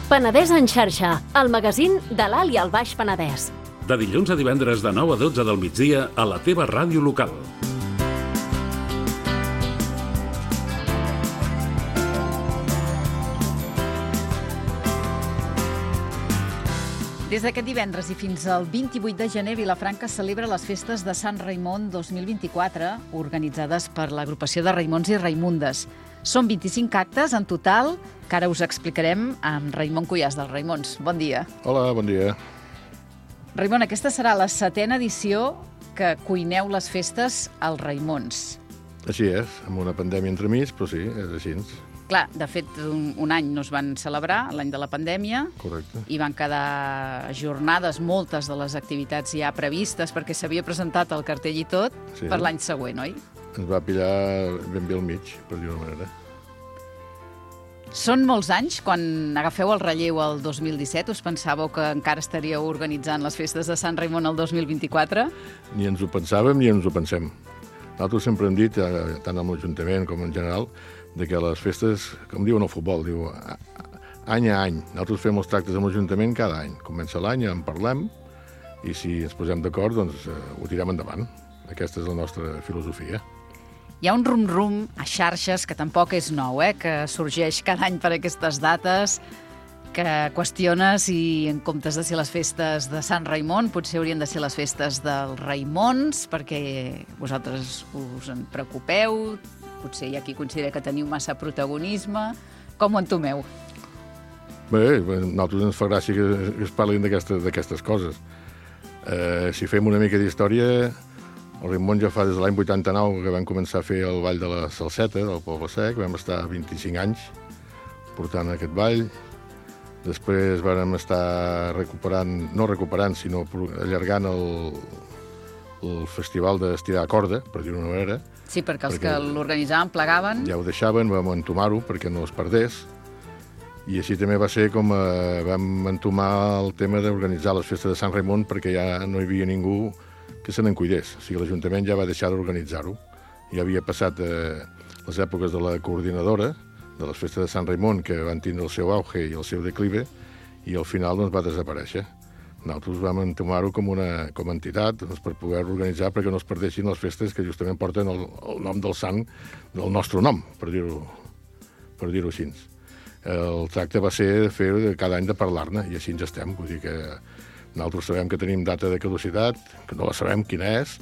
Penedès en xarxa, el magazín de l'Alt i el Baix Penedès. De dilluns a divendres de 9 a 12 del migdia a la teva ràdio local. Des d'aquest divendres i fins al 28 de gener, Vilafranca celebra les festes de Sant Raimon 2024, organitzades per l'agrupació de Raimons i Raimundes. Són 25 actes en total, que ara us explicarem amb Raimon Cuyàs dels Raimons. Bon dia. Hola, bon dia. Raimon, aquesta serà la 7a edició que cuineu les festes als Raimons. Així és, amb una pandèmia entremig, però sí, és així. Clar, de fet, un any no es van celebrar, l'any de la pandèmia. Correcte. I van quedar ajornades moltes de les activitats ja previstes, perquè s'havia presentat el cartell i tot per l'any següent, oi? Ens va pillar ben bé al mig, per dir-ho manera. Són molts anys. Quan agafeu el relleu el 2017, us pensàveu que encara estaríeu organitzant les festes de Sant Raimon el 2024? Ni ens ho pensàvem ni ens ho pensem. Nosaltres sempre hem dit, tant amb l'Ajuntament com en general, de que les festes, com diuen al futbol, diu any a any. Nosaltres fem els tractes amb l'Ajuntament cada any. Comença l'any, en parlem, i si ens posem d'acord, doncs ho tirem endavant. Aquesta és la nostra filosofia. Hi ha un rum-rum a xarxes, que tampoc és nou, que sorgeix cada any per aquestes dates, que qüestiona si, en comptes de ser les festes de Sant Raimon, potser haurien de ser les festes dels Raimons, perquè vosaltres us en preocupeu, potser hi ha qui considera que teniu massa protagonisme. Com ho entomeu? Bé, a nosaltres ens fa gràcia que es parlin d'aquestes coses. Si fem una mica d'història, el Raimon ja fa des de l'any 89 que vam començar a fer el ball de la Salseta, del Poble Sec, vam estar 25 anys portant aquest ball. Després vam estar sinó allargant el festival d'estirar a corda, per dir-ho d'una manera. Sí, perquè els que l'organitzaven plegaven. Ja ho deixaven, vam entomar-ho perquè no es perdés. I així també va ser com vam entomar el tema d'organitzar les festes de Sant Raimon, perquè ja no hi havia ningú que se n'en cuidés. O sigui, l'Ajuntament ja va deixar d'organitzar-ho. Ja havia passat les èpoques de la coordinadora, de les festes de Sant Raimon, que van tindre el seu auge i el seu declive, i al final doncs, va desaparèixer. Nosaltres vam entomar-ho com a entitat doncs, per poder organitzar perquè no es perdessin les festes que justament porten el nom del sant del nostre nom, per dir-ho així. El tracte va ser fer cada any de parlar-ne, i així ens estem. Vull dir que nosaltres sabem que tenim data de caducitat, que no la sabem quina és,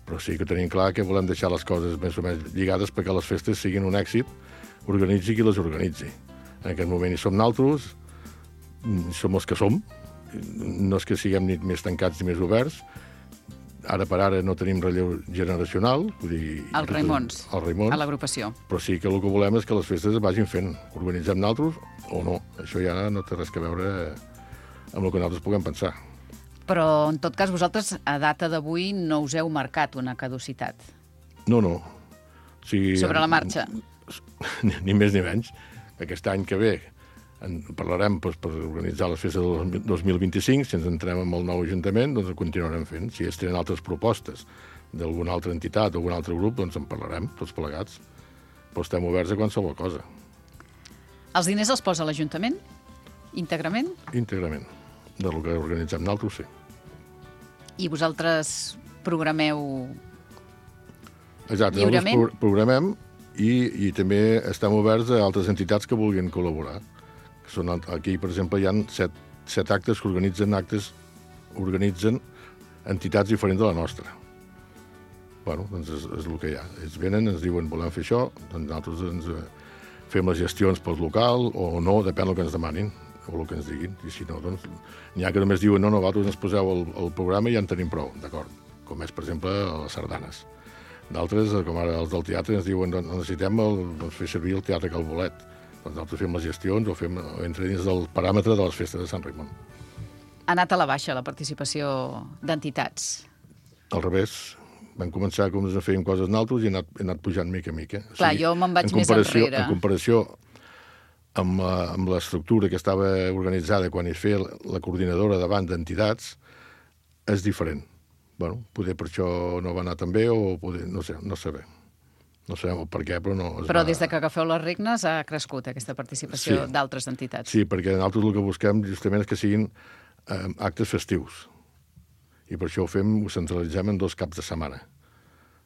però sí que tenim clar que volem deixar les coses més o menys lligades perquè les festes siguin un èxit, organitzi qui les organitzi. En aquest moment hi som nosaltres, som els que som, no és que siguem ni més tancats ni més oberts. Ara per ara no tenim relleu generacional. Vull dir, Els Raimons, a l'agrupació. Però sí que el que volem és que les festes es vagin fent. Organitzem nosaltres o no. Això ja no té res a veure amb el que nosaltres puguem pensar. Però, en tot cas, vosaltres, a data d'avui, no us heu marcat una caducitat. No. O sigui, sobre la marxa. Ni més ni menys. Aquest any que ve en parlarem per organitzar les festes del 2025. Si ens entrem amb el nou Ajuntament, doncs ho continuarem fent. Si ells tenen altres propostes d'alguna altra entitat o algun altre grup, doncs en parlarem, tots plegats. Però estem oberts a qualsevol cosa. Els diners els posa l'Ajuntament? Íntegrament? Íntegrament. Del que organitzem nosaltres, sí. I vosaltres programeu lliurement? Nosaltres programem i també estem oberts a altres entitats que vulguin col·laborar. Aquí, per exemple, hi ha 7 actes que organitzen entitats diferents de la nostra. Bueno, doncs és el que hi ha. Ells venen, ens diuen, volem fer això, doncs nosaltres fem les gestions pel local o no, depèn del que ens demanin o el que ens diguin. I si no, doncs n'hi ha que només diuen, no, vosaltres ens poseu el programa i ja en tenim prou, d'acord? Com és, per exemple, les sardanes. D'altres, com ara els del teatre, ens diuen, necessitem fer servir el Teatre Calbolet. Doncs nosaltres fem les gestions o entra dins del paràmetre de les festes de Sant Raimon. Ha anat a la baixa la participació d'entitats? Al revés. Vam començar com a fer coses nosaltres i he anat pujant mica a mica. Clar, jo me'n vaig més enrere. En comparació amb l'estructura que estava organitzada quan es feia la coordinadora davant d'entitats, és diferent. Bueno, poder per això no va anar tan bé o poder, no sé bé. No sabem el per què, però no... Però des de que agafeu les regnes ha crescut aquesta participació d'altres entitats. Sí, perquè nosaltres el que busquem justament és que siguin actes festius. I per això ho centralitzem en 2 caps de setmana.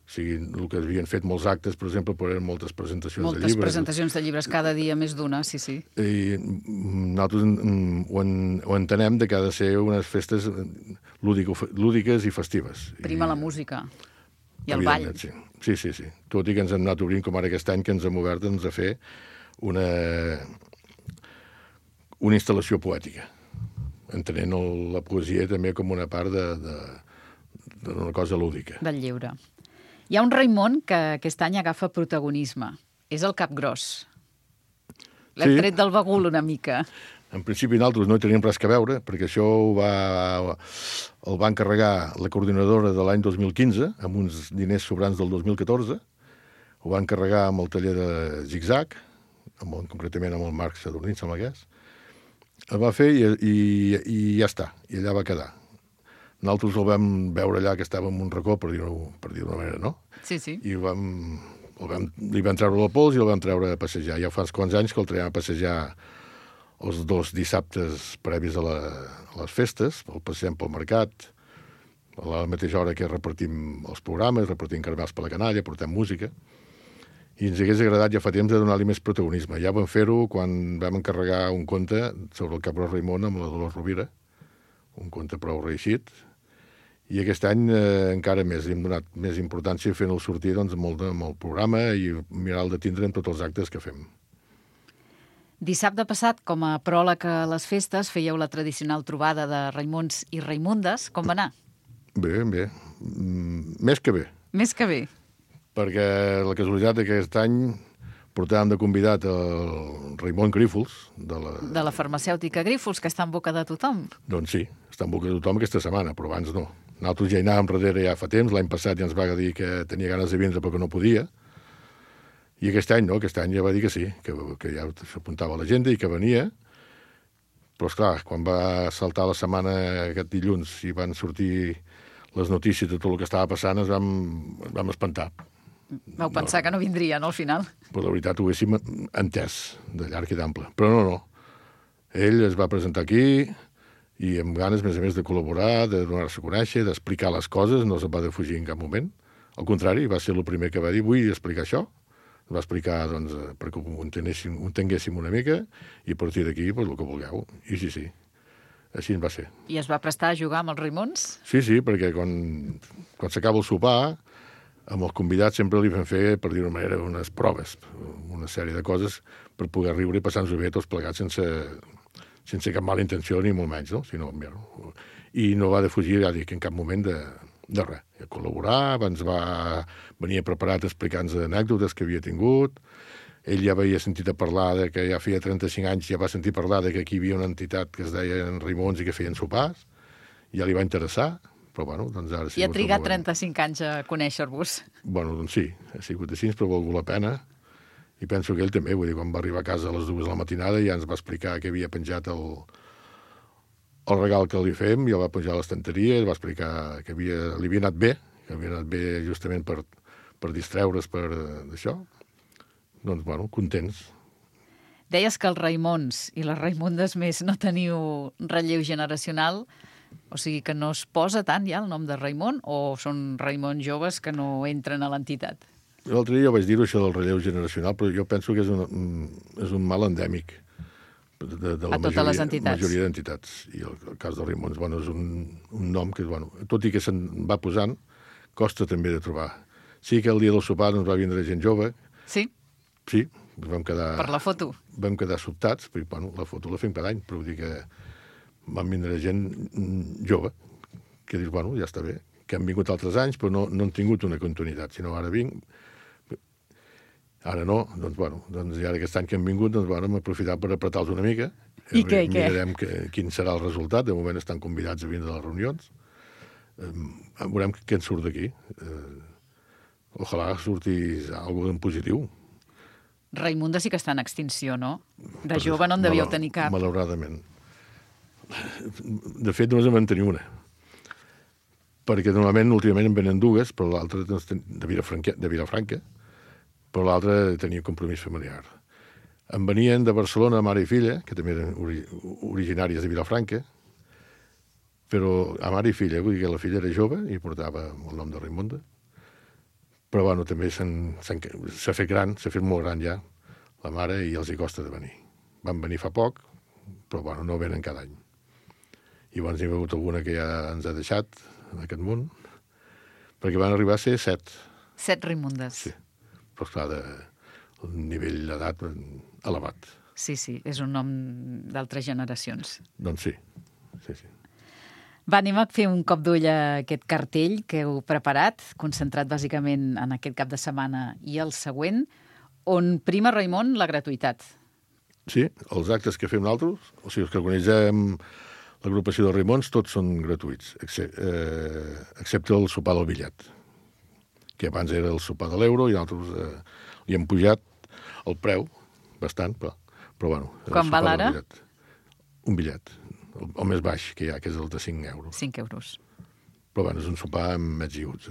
O sigui, el que havien fet molts actes, per exemple, eren moltes presentacions de llibres. Moltes presentacions de llibres, cada dia més d'una, sí. I nosaltres ho entenem que ha de ser unes festes lúdiques i festives. Prima la música i el ball. Sí. Tot i que ens hem anat obrint, com ara aquest any, que ens hem obert a fer una instal·lació poètica, entenent la poesia també com una part d'una cosa lúdica. Del lliure. Hi ha un Raimon que aquest any agafa protagonisme. És el Capgròs. L'hem tret del bagul una mica. En principi nosaltres no hi teníem res que veure, perquè això el va encarregar la coordinadora de l'any 2015, amb uns diners sobrants del 2014. Ho va encarregar amb el taller de Zigzag, concretament amb el Marc Sadurní, sembla que és. El va fer i ja està, i allà va quedar. Nosaltres el vam veure allà, que estava en un racó, per dir-ho d'una manera, no? Sí. I li vam treure el pols i el vam treure a passejar. Ja fa uns quants anys que el traiem a passejar els 2 dissabtes previs a les festes, el passegem pel mercat, a la mateixa hora que repartim els programes, repartim caramels per la canalla, portem música, i ens hagués agradat ja fa temps de donar-li més protagonisme. Ja vam fer-ho quan vam encarregar un conte sobre el Capgròs Raimon amb la Dolors Rovira, un conte prou reeixit, i aquest any encara més, hem donat més importància fent-el sortir amb el programa i mirar de tindre en tots els actes que fem. Dissabte passat, com a pròleg a les festes, fèieu la tradicional trobada de Raimons i Raimundes. Com va anar? Bé. Més que bé. Més que bé. Perquè la casualitat d'aquest any portàvem de convidat el Raimon Grífols. De la farmacèutica Grífols, que està en boca de tothom. Doncs sí, està en boca de tothom aquesta setmana, però abans no. Nosaltres ja hi anàvem darrere ja fa temps, l'any passat ja ens va dir que tenia ganes de vindre però que no podia, i aquest any no, aquest any ja va dir que sí, que ja s'apuntava a l'agenda i que venia, però esclar, quan va saltar la setmana aquest dilluns i van sortir les notícies de tot el que estava passant, ens vam espantar. Vau pensar que no vindria, no, al final? Però la veritat ho haguéssim entès, de llarg i d'ample. Però no. Ell es va presentar aquí i amb ganes, a més de col·laborar, de donar-se a conèixer, d'explicar les coses, no se'n va defugir en cap moment. Al contrari, va ser el primer que va dir, vull explicar això. Va explicar, doncs, perquè ho entenguéssim una mica, i a partir d'aquí, el que vulgueu. I sí, així en va ser. I es va prestar a jugar amb els Raimons? Sí, perquè quan s'acaba el sopar, amb els convidats sempre li vam fer, per dir-ho manera, unes proves, una sèrie de coses per poder riure i passar-nos bé tots plegats sense cap mala intenció ni molt menys, no? I no va defugir, ja dic, en cap moment de res. A col·laborar, ens va venir preparat explicant-nos anècdotes que havia tingut. Ell ja havia sentit a parlar que ja feia 35 anys, ja va sentir parlar que aquí hi havia una entitat que es deia Raimons i que feien sopars. Ja li va interessar, però doncs ara... I ha trigat 35 anys a conèixer-vos. Doncs sí, ha sigut així, però ha valgut la pena. I penso que ell també, vull dir, quan va arribar a casa a les 2 de la matinada ja ens va explicar que havia penjat el regal que li fem, ja el va penjar a l'estanteria, va explicar que li havia anat bé, justament per distreure's d'això. Doncs, contents. Deies que els Raimons i les Raimundes més no teniu relleu generacional, o sigui que no es posa tant ja el nom de Raimon, o són Raimons joves que no entren a l'entitat? L'altre dia vaig dir-ho, això del relleu generacional, però jo penso que és un mal endèmic de la majoria d'entitats. I el cas de Raimons, és un nom que, tot i que se'n va posant, costa també de trobar. Sí que el dia del sopar ens va vindre gent jove. Sí? Sí, vam quedar... Per la foto? Vam quedar sobtats, perquè la foto la fem cada any, però vull dir que van vindre gent jove, que dius, ja està bé, que han vingut altres anys, però no han tingut una continuïtat, sinó ara vinc... Ara no, doncs ara aquest any que han vingut, hem aprofitat per apretar-los una mica. I què? Mirarem quin serà el resultat. De moment estan convidats a vindre a les reunions. Veurem què en surt d'aquí. Ojalà surti alguna cosa en positiu. Raimunda sí que està en extinció, no? De jove no en devíeu tenir cap. Malauradament. De fet, només en vam tenir una. Perquè normalment, últimament, en venen dues, però l'altra de Vilafranca, però l'altre tenia compromís familiar. Em venien de Barcelona mare i filla, que també eren originàries de Vilafranca, però a mare i filla, vull dir que la filla era jove i portava el nom de Raimonda, però bueno, també s'ha fet gran, s'ha fet molt gran ja, la mare, i els hi costa de venir. Van venir fa poc, però bueno, no venen cada any. I llavors hi ha hagut alguna que ja ens ha deixat en aquest món, perquè van arribar a ser 7. 7 Raimondes. Sí, però esclar, el nivell d'edat elevat. Sí, és un nom d'altres generacions. Doncs sí. Va, anem a fer un cop d'ull a aquest cartell que heu preparat, concentrat bàsicament en aquest cap de setmana i el següent, on prima, Raimon, la gratuïtat. Sí, els actes que fem nosaltres, o sigui, els que organitzem l'agrupació de Raimons, tots són gratuïts, excepte el sopar del Billet, que abans era el sopar de l'euro i nosaltres li hem pujat el preu, bastant, però bueno. Quan val ara? Un bitllet, el més baix que hi ha, que és el de 5 euros. 5 euros. Però bueno, és un sopar amb mets i uts.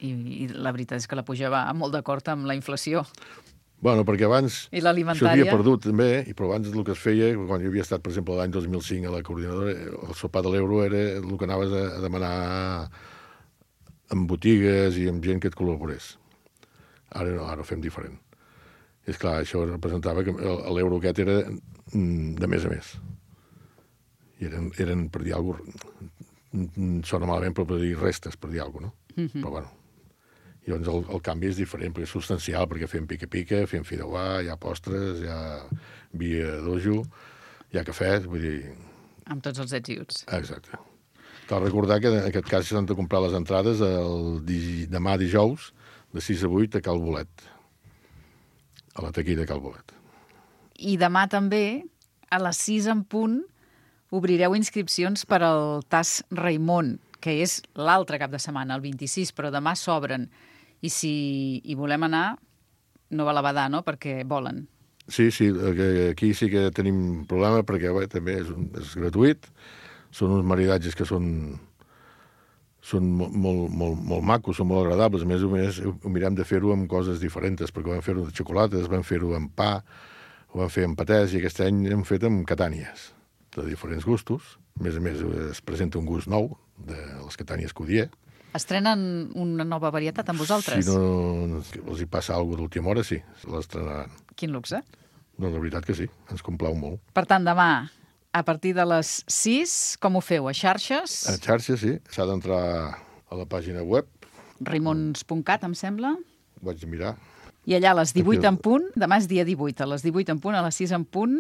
I la veritat és que la puja va molt d'acord amb la inflació. Bueno, perquè abans s'havia perdut també, però abans el que es feia, quan jo havia estat, per exemple, l'any 2005 a la coordinadora, el sopar de l'euro era el que anaves a demanar en botigues i amb gent que et col·laborés. Ara no, ara ho fem diferent. És clar, això representava que l'euro aquest era de mes a mes. I eren per dir alguna cosa, sona malament, però per dir restes, per dir alguna cosa, no? Però bueno, i llavors el canvi és diferent, perquè és substancial, perquè fem pica-pica, fem fideuà, hi ha postres, hi ha vi a dojo, hi ha cafè, vull dir... Amb tots els ets i uts. Exacte. Cal recordar que en aquest cas s'han de comprar les entrades demà dijous, de 6 a 8 a Cal Bolet, a la taquilla de Cal Bolet. I demà també, a les 6 en punt, obrireu inscripcions per al TAS Raimon, que és l'altre cap de setmana, el 26, però demà s'obren. I si hi volem anar, no val a badar, no?, perquè volen. Sí, aquí sí que tenim problema, perquè també és gratuït. Són uns maridatges que són molt macos, són molt agradables. A més, ho mirem de fer-ho amb coses diferents, perquè vam fer-ho de xocolates, vam fer-ho amb pa, ho vam fer amb patès, i aquest any hem fet amb catànies de diferents gustos. A més, es presenta un gust nou de les catànies Codier. Estrenen una nova varietat amb vosaltres? Si no els hi passa alguna cosa d'última hora, sí, l'estrenaran. Quin luxe. No, la veritat que sí, ens complau molt. Per tant, demà, a partir de les 6, com ho feu? A xarxes? A xarxes, sí. S'ha d'entrar a la pàgina web. Raimons.cat, em sembla. Ho vaig mirar. I allà a les 18 en punt, demà és dia 18, a les 18 en punt, a les 6 en punt,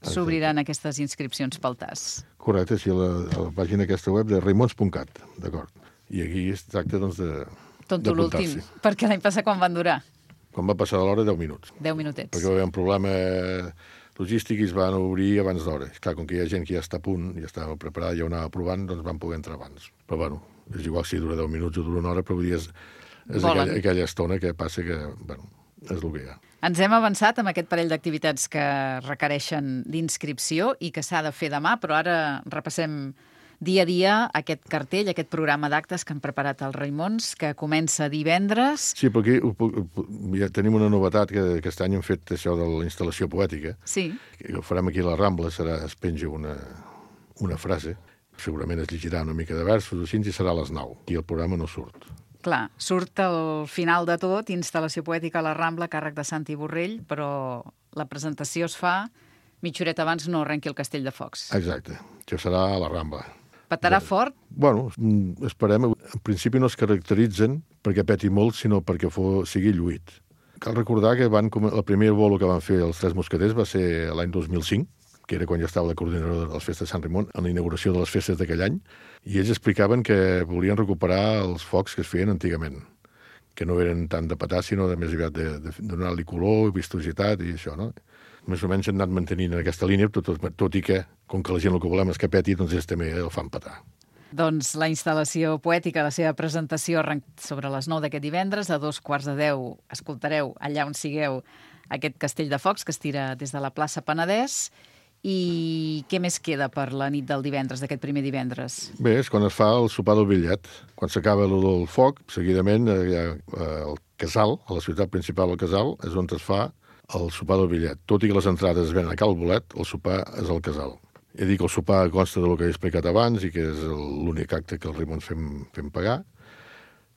s'obriran aquestes inscripcions pel TAS. Correcte, sí, a la pàgina aquesta web de raimons.cat, d'acord. I aquí es tracta, doncs, Tonto l'últim, perquè l'any passat quan van durar? Quan va passar l'hora, 10 minuts. 10 minutets. Perquè va haver un problema logístic i es van obrir abans d'hora. Clar, com que hi ha gent que ja està a punt, ja estava preparada, ja ho anava provant, doncs van poder entrar abans. Però bueno, és igual si dura 10 minuts o dura una hora, però vull dir, és aquella estona que passa que, bueno, és el que hi ha. Ens hem avançat amb aquest parell d'activitats que requereixen d'inscripció i que s'ha de fer demà, però ara repassem dia a dia aquest cartell, aquest programa d'actes que han preparat els Raimons, que comença divendres. Sí, però aquí ja tenim una novetat, que aquest any hem fet això de la instal·lació poètica. Sí. Que ho farem aquí a la Rambla, es penja una frase, segurament es llegirà una mica de versos, així, i serà a les 9, i el programa no surt. Clar, surt al final de tot, instal·lació poètica a la Rambla, càrrec de Santi Borrell, però la presentació es fa mitja horeta abans no arrenqui el Castell de Focs. Exacte, això serà a la Rambla. Petarà fort? Bueno, esperem. En principi no es caracteritzen perquè peti molt, sinó perquè sigui lluït. Cal recordar que el primer bolo que van fer els Tres Mosqueters va ser l'any 2005, que era quan ja estava la coordinadora de les festes de Sant Raimon, en la inauguració de les festes d'aquell any, i ells explicaven que volien recuperar els focs que es feien antigament, que no eren tant de petar, sinó de més aviat de donar-li color, vistositat i això, no? Més o menys han anat mantenint aquesta línia, tot i que, com que la gent el que volem és que peti, doncs ells també el fan petar. Doncs la instal·lació poètica, la seva presentació sobre les 9 d'aquest divendres, a 9:15 escoltareu allà on sigueu aquest Castell de Focs que es tira des de la plaça Penedès. I què més queda per la nit del divendres, d'aquest primer divendres? Bé, és quan es fa el sopar del Billet. Quan s'acaba el foc, seguidament hi ha el Casal, a la ciutat principal del Casal, és on es fa el sopar del bitllet. Tot i que les entrades es venen a Cal Bolet, el sopar és al Casal. He dit que el sopar consta del que he explicat abans i que és l'únic acte que els Raimons fem pagar.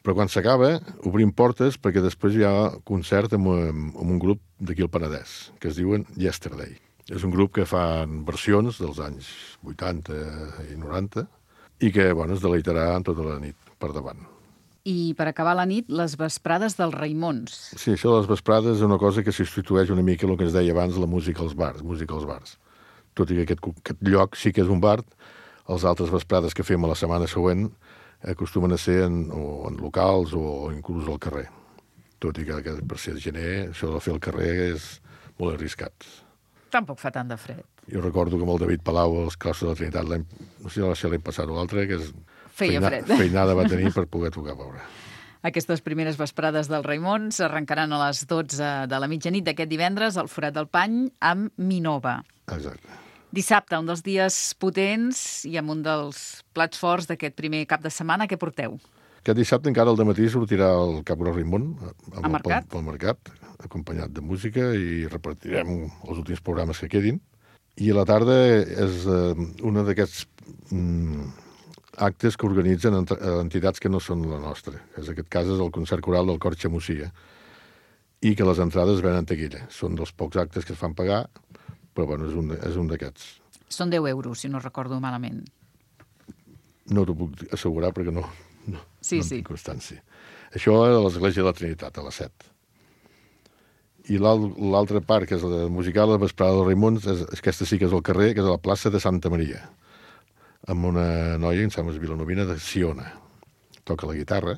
Però quan s'acaba, obrim portes perquè després hi ha concert amb un grup d'aquí al Penedès, que es diuen Yesterday. És un grup que fan versions dels anys 80 i 90 i que es deleitarà tota la nit per davant. I per acabar la nit, les vesprades dels Raimons. Sí, això de les vesprades és una cosa que substitueix una mica el que ens deia abans, la música als bars, Tot i que aquest lloc sí que és un bar, els altres vesprades que fem a la setmana següent acostumen a ser en locals o inclús al carrer. Tot i que per ser gener, això de fer al carrer és molt arriscat. Tampoc fa tant de fred. Jo recordo que amb el David Palau als Claustres de la Trinitat, no sé si l'any passat o l'altre, que feinada va tenir per poder tocar a veure. Aquestes primeres vesprades dels Raimons arrencaran a les 12 de la mitjanit d'aquest divendres al Forat del Pany amb Minova. Exacte. Dissabte, un dels dies potents i amb un dels plats forts d'aquest primer cap de setmana, què porteu? Aquest dissabte encara al dematí sortirà el Cap Gros Raimon pel mercat, acompanyat de música, i repartirem els últims programes que quedin. I a la tarda és una d'aquests actes que organitzen entitats que no són la nostra. En aquest cas és el concert coral del Cor Xamucia, i que les entrades venen en taquilla. Són dels pocs actes que es fan pagar, però és un d'aquests. Són 10 euros, si no recordo malament. No t'ho puc assegurar perquè no sí. tinc constància. Això és a l'Església de la Trinitat, a les 7. I l'altra part, que és la musical, la vesprada dels Raimons, aquesta sí que és al carrer, que és a la plaça de Santa Maria, amb una noia, em sembla vilanovina, de Siona. Toca la guitarra,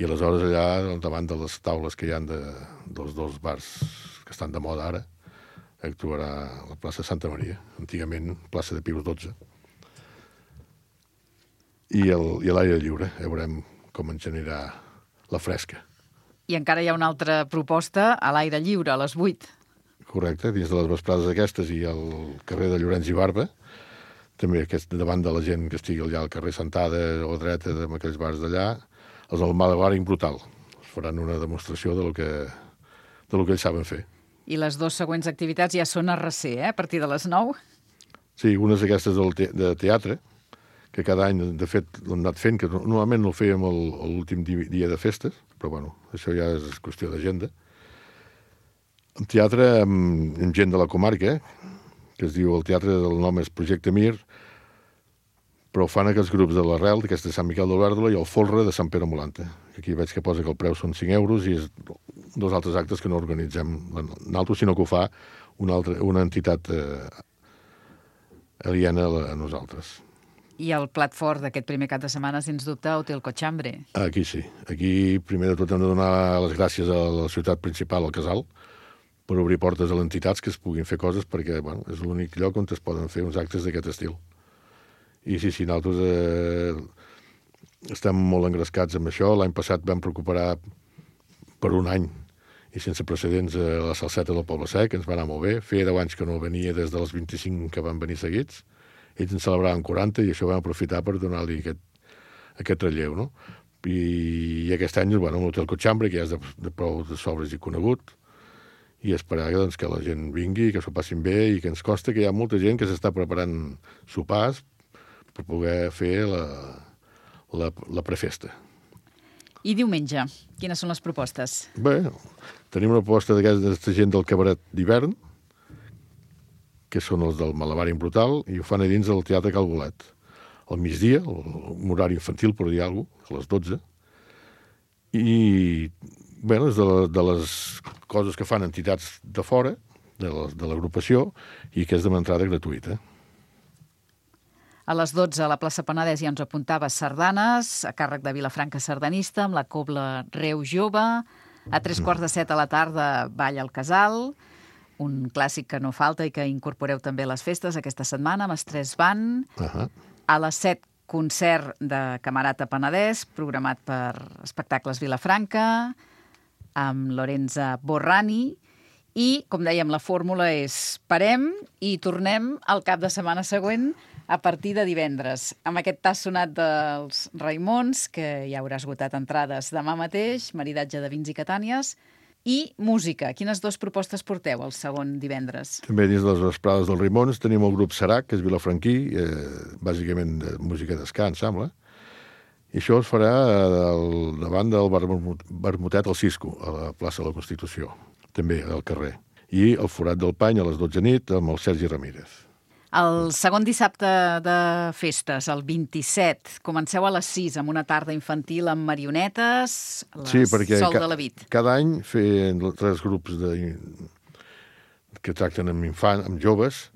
i aleshores allà, davant de les taules que hi ha dels dos bars que estan de moda ara, actuarà a la plaça de Santa Maria, antigament plaça de Pius XII. I a l'aire lliure, veurem com ens generarà la fresca. I encara hi ha una altra proposta a l'aire lliure, a les 8. Correcte, dins de les vesprades aquestes i al carrer de Llorenç i Barba, també davant de la gent que estigui allà al carrer sentada o dreta en aquells bars d'allà, els del Malabaring Brutal. Faran una demostració del que ells saben fer. I les dues següents activitats ja són a RC, a partir de les 9? Sí, unes d'aquestes de teatre, que cada any, de fet, l'hem anat fent, que normalment no el fèiem l'últim dia de festes, però això ja és qüestió d'agenda. En teatre, amb gent de la comarca, que es diu, el teatre del nom és Projecte Mir, però fan aquests grups de l'Arrel, d'aquesta de Sant Miquel d'Olèrdola, i el Folre de Sant Pere Molanta. Aquí veig que posa que el preu són 5 euros i és dos altres actes que no organitzem nosaltres, sinó que ho fa una entitat aliena a nosaltres. I el plat fort d'aquest primer cap de setmana, sens dubte, Hotel Cochambre. Aquí sí. Aquí, primer de tot, hem de donar les gràcies a la ciutat principal, al Casal, per obrir portes a les entitats que es puguin fer coses, perquè és l'únic lloc on es poden fer uns actes d'aquest estil. I sí, nosaltres estem molt engrescats amb això. L'any passat vam recuperar per un any i sense precedents la salseta del Poble Sec, ens va anar molt bé. Feia 10 anys que no venia des dels 25 que van venir seguits. Ells en celebraven 40 i això vam aprofitar per donar-li aquest relleu, no? I aquest any, l'Hotel Cochambre, que ja és de prou de sobres i conegut, i esperar que la gent vingui, que s'ho passin bé, i que ens consta que hi ha molta gent que s'està preparant sopars per poder fer la prefesta. I diumenge, quines són les propostes? Bé, tenim una proposta d'aquesta gent del cabaret d'hivern, que són els del Malabaring Brutal, i ho fan a dins del Teatre Cal Bolet. Al migdia, un horari infantil, per dir alguna cosa, a les 12. I, bé, és de les coses que fan entitats de fora, de l'agrupació, i que és de entrada gratuïta. A les 12 a la plaça Penedès ja ens apuntava sardanes, a càrrec de Vilafranca Sardanista, amb la Cobla Reu Jove. A 3:15 a la tarda, Ball al Casal, un clàssic que no falta i que incorporeu també a les festes aquesta setmana, amb Estrès Band. A les 7, concert de Camerata Penedès, programat per Espectacles Vilafranca, amb Lorenza Borrani. I, com dèiem, la fórmula és parem i tornem al cap de setmana següent a partir de divendres. Amb aquest tas sonat dels Raimons, que ja haurà esgotat entrades demà mateix, maridatge de vins i catànies, i música. Quines dues propostes porteu el segon divendres? També dins de les vesprades dels Raimons tenim el grup Serac, que és vilafranquí, bàsicament de música d'esca, em sembla. I això es farà davant del Vermutet al Cisco, a la plaça de la Constitució, també al carrer. I el Forat del Pany a les 12 nit amb el Sergi Ramírez. El segon dissabte de festes, el 27, comenceu a les 6 amb una tarda infantil amb marionetes, Sol de la Vid. Cada any fent 3 grups que tracten amb joves,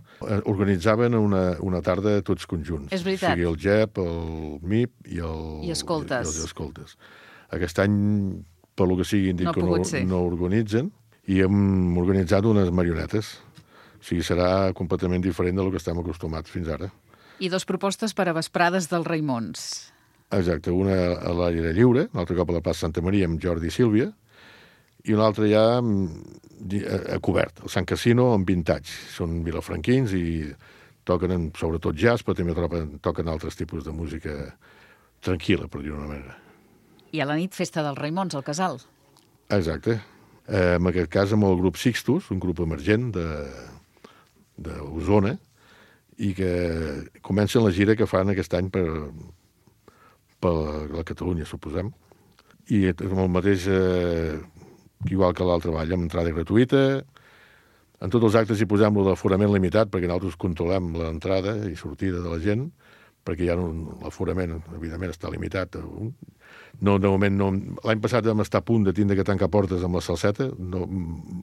organitzaven una tarda tots conjunts. És veritat. O sigui, el GEP, el MIP i els escoltes. Aquest any, per lo que sigui, no organitzen i hem organitzat unes marionetes. O sigui, serà completament diferent del que estem acostumats fins ara. I 2 propostes per a vesprades dels Raimons. Exacte, una a l'aire lliure, un altre cop a la plaça Santa Maria amb Jordi i Sílvia, i una altra ja a cobert, el Sant Casino amb Vintage. Són vilafranquins i toquen sobretot jazz, però també toquen altres tipus de música tranquil·la, per dir-ho d'una manera. I a la nit, festa dels Raimons, al Casal. Exacte. En aquest cas amb el grup Sixtus, un grup emergent d'Osona, i que comencen la gira que fan aquest any per la Catalunya, suposem. I amb el mateix, igual que l'altre ball, amb entrada gratuïta. En tots els actes hi posem l'aforament limitat, perquè nosaltres controlem l'entrada i sortida de la gent, perquè ja l'aforament, evidentment, està limitat. No, de moment no. L'any passat vam estar a punt de tindre que tancar portes amb la salseta, no,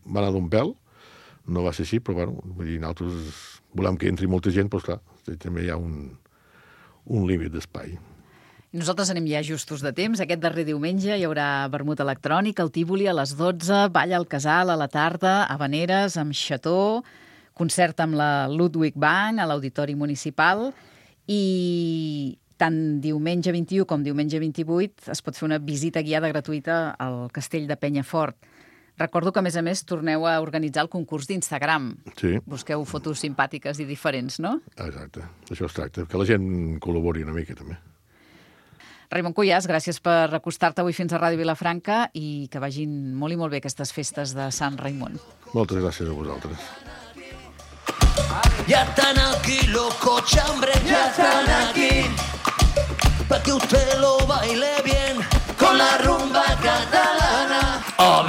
va anar d'un pèl, no va ser així, però bueno, nosaltres volem que entri molta gent, però esclar, també hi ha un límit d'espai. Nosaltres anem ja justos de temps. Aquest darrer diumenge hi haurà vermut electrònic, al Tívoli a les 12, ball al Casal a la tarda, Havaneres amb Xató, concert amb la Ludwig Band a l'Auditori Municipal i tant diumenge 21 com diumenge 28 es pot fer una visita guiada gratuïta al Castell de Penyafort. Recordo que, a més, torneu a organitzar el concurs d'Instagram. Sí. Busqueu fotos simpàtiques i diferents, no? Exacte. Això es tracta, que la gent col·labori una mica, també. Raimon Cuyàs, gràcies per acostar-te avui fins a Ràdio Vilafranca i que vagin molt i molt bé aquestes festes de Sant Raimon. Moltes gràcies a vosaltres. Ya están aquí los cochambres, ya están aquí, pa' que usted lo baile bien con la rumba catalana. Oh,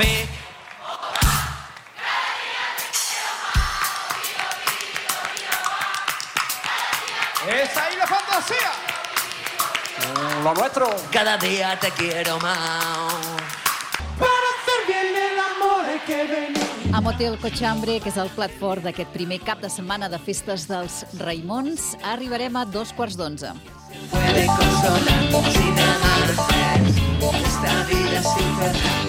¡Es ahí la fantasía! Lo nuestro. Cada día te quiero más. Para hacer bien el amor hay que venir. A Motel Cochambre, que és el plat fort d'aquest primer cap de setmana de festes dels Raimons, arribarem a 11:15. Puede consolar sin amar. Esta vida es infernal.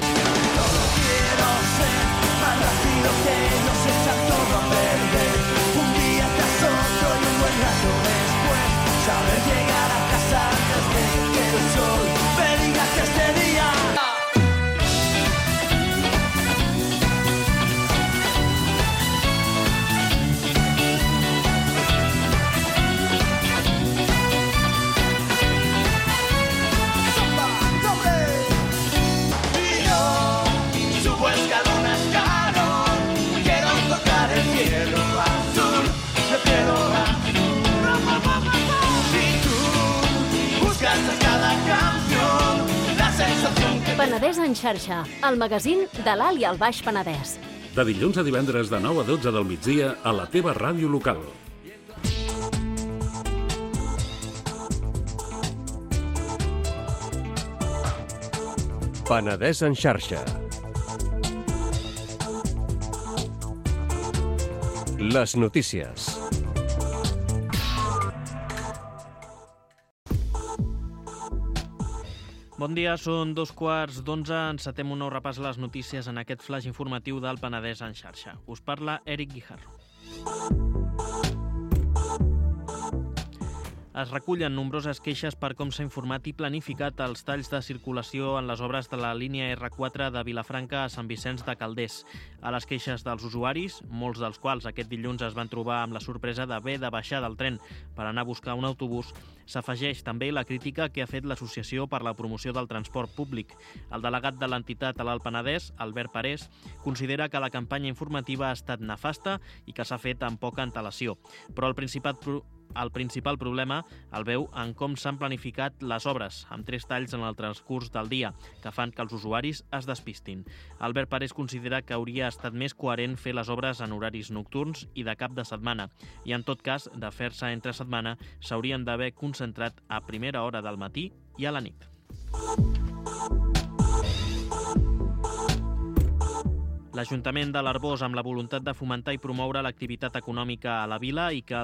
Solo quiero ser más rápido que los echan todo a perder. Un día tras otro y un buen rato después, saber llegar a casa antes de que el sol me diga que este día. Penedès en xarxa, el magazín de l'Alt i el Baix Penedès. De dilluns a divendres de 9 a 12 del migdia a la teva ràdio local. Penedès en xarxa. Les notícies. Bon dia, són 11:15. Encetem un nou repàs a les notícies en aquest flash informatiu del Penedès en xarxa. Us parla Eric Guijarro. Es recullen nombroses queixes per com s'ha informat i planificat els talls de circulació en les obres de la línia R4 de Vilafranca a Sant Vicenç de Calders. A les queixes dels usuaris, molts dels quals aquest dilluns es van trobar amb la sorpresa d'haver de baixar del tren per anar a buscar un autobús, s'afegeix també la crítica que ha fet l'Associació per la Promoció del Transport Públic. El delegat de l'entitat a l'Alt Penedès, Albert Parés, considera que la campanya informativa ha estat nefasta i que s'ha fet amb poca antelació. Però el principal problema el veu en com s'han planificat les obres, amb 3 talls en el transcurs del dia, que fan que els usuaris es despistin. Albert Parés considera que hauria estat més coherent fer les obres en horaris nocturns i de cap de setmana, i en tot cas, de fer-se entre setmana, s'haurien d'haver concentrat a primera hora del matí i a la nit. L'Ajuntament de l'Arboç, amb la voluntat de fomentar i promoure l'activitat econòmica a la vila i que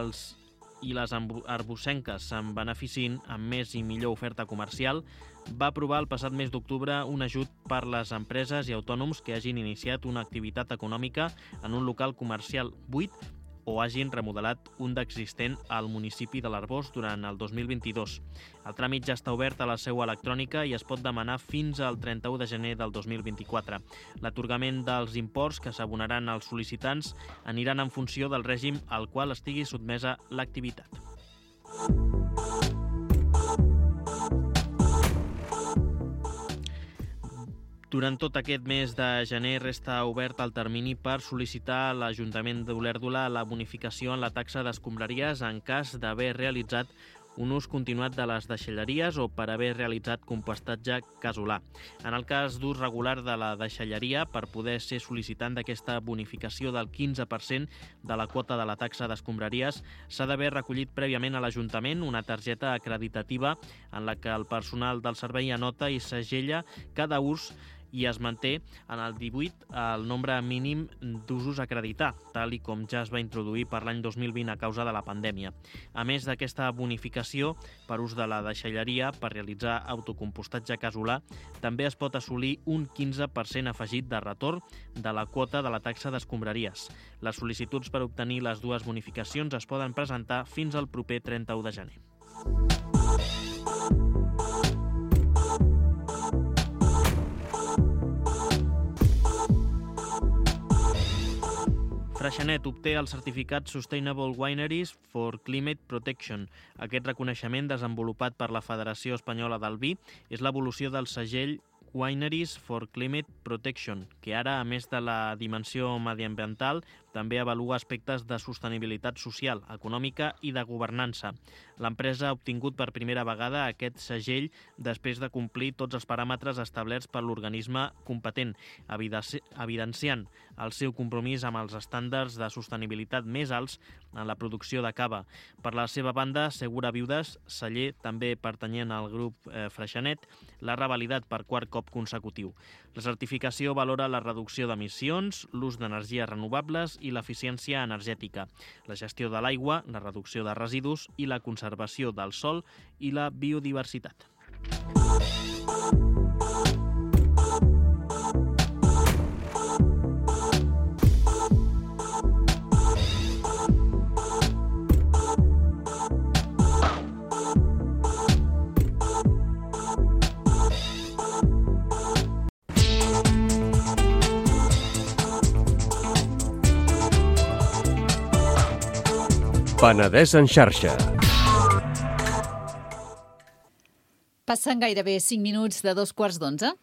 les arbocenques se'n beneficin amb més i millor oferta comercial, va aprovar el passat mes d'octubre un ajut per les empreses i autònoms que hagin iniciat una activitat econòmica en un local comercial buit o hagin remodelat un d'existent al municipi de l'Arboç durant el 2022. El tràmit ja està obert a la seu electrònica i es pot demanar fins al 31 de gener del 2024. L'atorgament dels imports que s'abonaran als sol·licitants aniran en funció del règim al qual estigui sotmesa l'activitat. Durant tot aquest mes de gener resta obert el termini per sol·licitar a l'Ajuntament d'Olèrdola la bonificació en la taxa d'escombraries en cas d'haver realitzat un ús continuat de les deixalleries o per haver realitzat compostatge casolà. En el cas d'ús regular de la deixalleria, per poder ser sol·licitant d'aquesta bonificació del 15% de la quota de la taxa d'escombraries, s'ha d'haver recollit prèviament a l'Ajuntament una targeta acreditativa en la que el personal del servei anota i segella cada ús i es manté en el 18 el nombre mínim d'usos a acreditar, tal i com ja es va introduir per l'any 2020 a causa de la pandèmia. A més d'aquesta bonificació per ús de la deixalleria per realitzar autocompostatge casolà, també es pot assolir un 15% afegit de retorn de la quota de la taxa d'escombraries. Les sol·licituds per obtenir les dues bonificacions es poden presentar fins al proper 31 de gener. Freixenet obté el certificat Sustainable Wineries for Climate Protection. Aquest reconeixement, desenvolupat per la Federació Espanyola del Vi, és l'evolució del segell Wineries for Climate Protection, que ara, a més de la dimensió mediambiental, també avalua aspectes de sostenibilitat social, econòmica i de governança. L'empresa ha obtingut per primera vegada aquest segell després de complir tots els paràmetres establerts per l'organisme competent, evidenciant el seu compromís amb els estàndards de sostenibilitat més alts en la producció de cava. Per la seva banda, Segura Viudes, celler també pertanyent al grup Freixenet, l'ha revalidat per quart cop consecutiu. La certificació valora la reducció d'emissions, l'ús d'energies renovables i l'eficiència energètica, la gestió de l'aigua, la reducció de residus i la conservació del sòl i la biodiversitat. Penedès en xarxa. Passen gairebé 5 minuts de 11:15.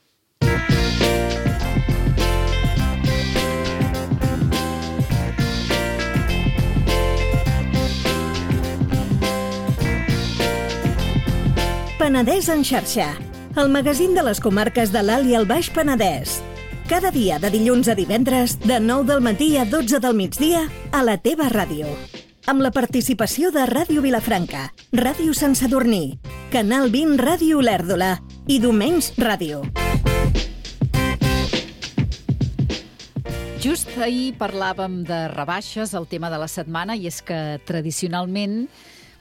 Penedès en xarxa, el magazín de les comarques de l'Alt i el Baix Penedès. Cada dia de dilluns a divendres, de 9 del matí a 12 del migdia, a la teva ràdio. Amb la participació de Ràdio Vilafranca, Ràdio Sant Sadurní, Canal 20 Ràdio Olèrdola i Domenys Ràdio. Just ahir parlàvem de rebaixes, el tema de la setmana, i és que tradicionalment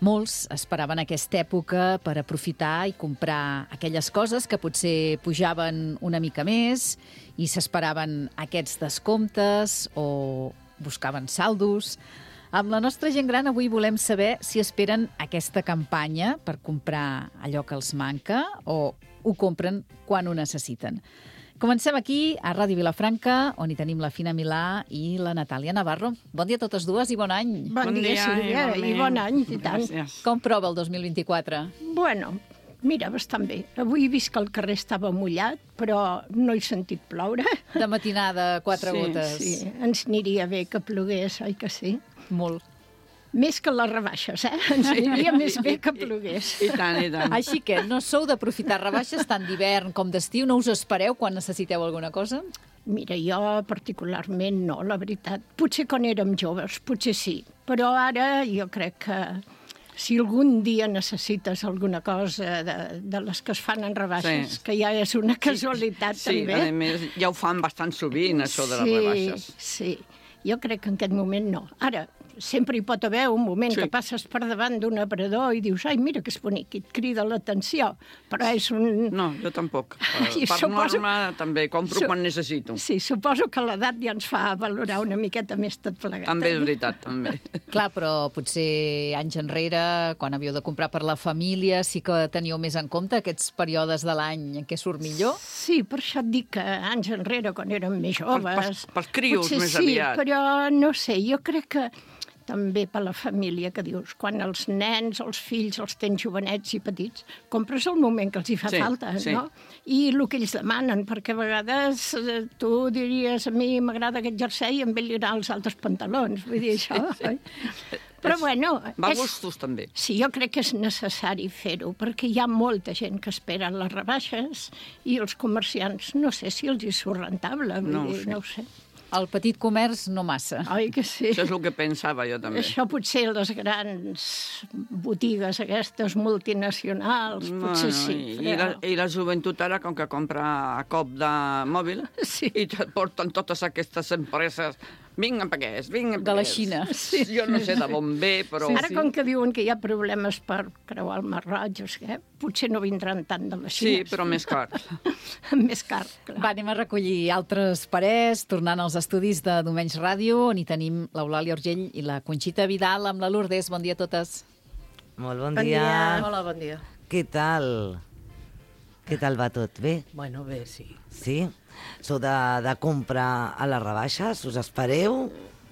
molts esperaven aquesta època per aprofitar i comprar aquelles coses que potser pujaven una mica més i s'esperaven aquests descomptes o buscaven saldos. Amb la nostra gent gran avui volem saber si esperen aquesta campanya per comprar allò que els manca o ho compren quan ho necessiten. Comencem aquí, a Ràdio Vilafranca, on hi tenim la Fina Milà i la Natàlia Navarro. Bon dia a totes dues i bon any. Bon dia, Sílvia, i bon any, i tant. Gràcies. Com prova el 2024? Bueno, mira, bastant bé. Avui he vist que el carrer estava mullat, però no he sentit ploure. De matinada, 4 gotes. Sí, ens aniria bé que plogués, oi que sí? Molt. Més que les rebaixes, Ens aniria més bé que plogués. I tant, i tant. Així que no sou d'aprofitar rebaixes tant d'hivern com d'estiu? No us espereu quan necessiteu alguna cosa? Mira, jo particularment no, la veritat. Potser quan érem joves, potser sí. Però ara jo crec que si algun dia necessites alguna cosa de les que es fan en rebaixes, que ja és una casualitat també. Sí, a més, ja ho fan bastant sovint, això de les rebaixes. Sí, jo crec que en aquest moment no. Ara, sempre hi pot haver un moment que passes per davant d'un aparador i dius, ai, mira que és bonic, i et crida l'atenció, però és un... No, jo tampoc. Per norma també compro quan necessito. Sí, suposo que l'edat ja ens fa valorar una miqueta més tot plegat. També és veritat, també. Clar, però potser anys enrere, quan havíeu de comprar per la família, sí que teníeu més en compte aquests períodes de l'any en què surt millor? Sí, per això et dic que anys enrere, quan érem més joves... Pels crios, més Sí, aviat. però no sé, jo crec que també per la família, que dius, quan els nens, els fills, els tens jovenets i petits, compres el moment que els hi fa falta, no? I el que ells demanen, perquè a vegades tu diries, a mi m'agrada aquest jersei i em ve anar als altres pantalons, vull dir això, oi? Però bueno... Va a gustos, també. Sí, jo crec que és necessari fer-ho, perquè hi ha molta gent que espera les rebaixes i els comerciants, no sé si els hi surt rentable, vull dir, no ho sé. El petit comerç no massa. Oi que sí? Això és el que pensava jo també. Això potser les grans botigues aquestes multinacionals, potser sí. I la joventut ara, com que compra a cop de mòbil, i et porten totes aquestes empreses... Vinga, paquets, vinga, paquets. De la Xina. Sí. Jo no sé de on ve, però... Ara, com que diuen que hi ha problemes per creuar el Mar Roig, potser no vindran tant de la Xina. Sí, però més car. Més car, clar. Va, anem a recollir altres parers, tornant als estudis de Domenys Ràdio, on hi tenim l'Eulàlia Urgell i la Conxita Vidal amb la Lourdes. Bon dia a totes. Molt bon dia. Hola, bon dia. Què tal? Què tal va tot? Bé? Bueno, bé, sí. Sí? Sou de comprar a les rebaixes? Us espereu?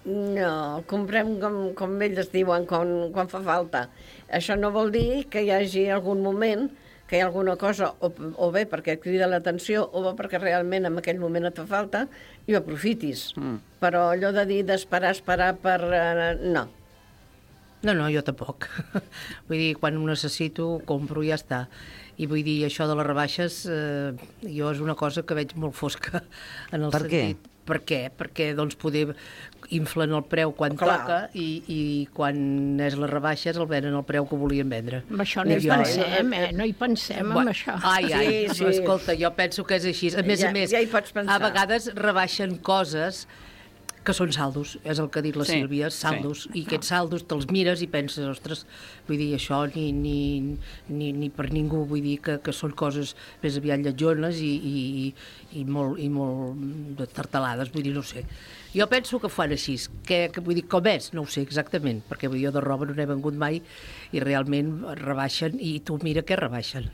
No, comprem com ells diuen quan fa falta. Això no vol dir que hi hagi algun moment que hi ha alguna cosa, o bé perquè et crida l'atenció, o bé perquè realment en aquell moment et fa falta i ho aprofitis. Però allò de dir d'esperar per... no. No, jo tampoc. Vull dir, quan ho necessito, compro i ja està. I vull dir, això de les rebaixes, jo és una cosa que veig molt fosca en el sentit. Per què? Perquè, doncs, poder inflen el preu quan toca i quan és les rebaixes el venen al preu que volien vendre. Amb això no hi pensem, no hi pensem amb això. Ai, escolta, jo penso que és així. A més, ja hi pots pensar. A vegades rebaixen coses que són saldos, és el que ha dit la Sílvia, saldos, i aquests saldos te'ls mires i penses, ostres, vull dir, això ni per ningú, vull dir que són coses més aviat lletjones i molt tartalades, vull dir, no sé. Jo penso que fan així, que vull dir, com és, no ho sé exactament, perquè jo de roba no n'he vengut mai i realment rebaixen, i tu mira què rebaixen,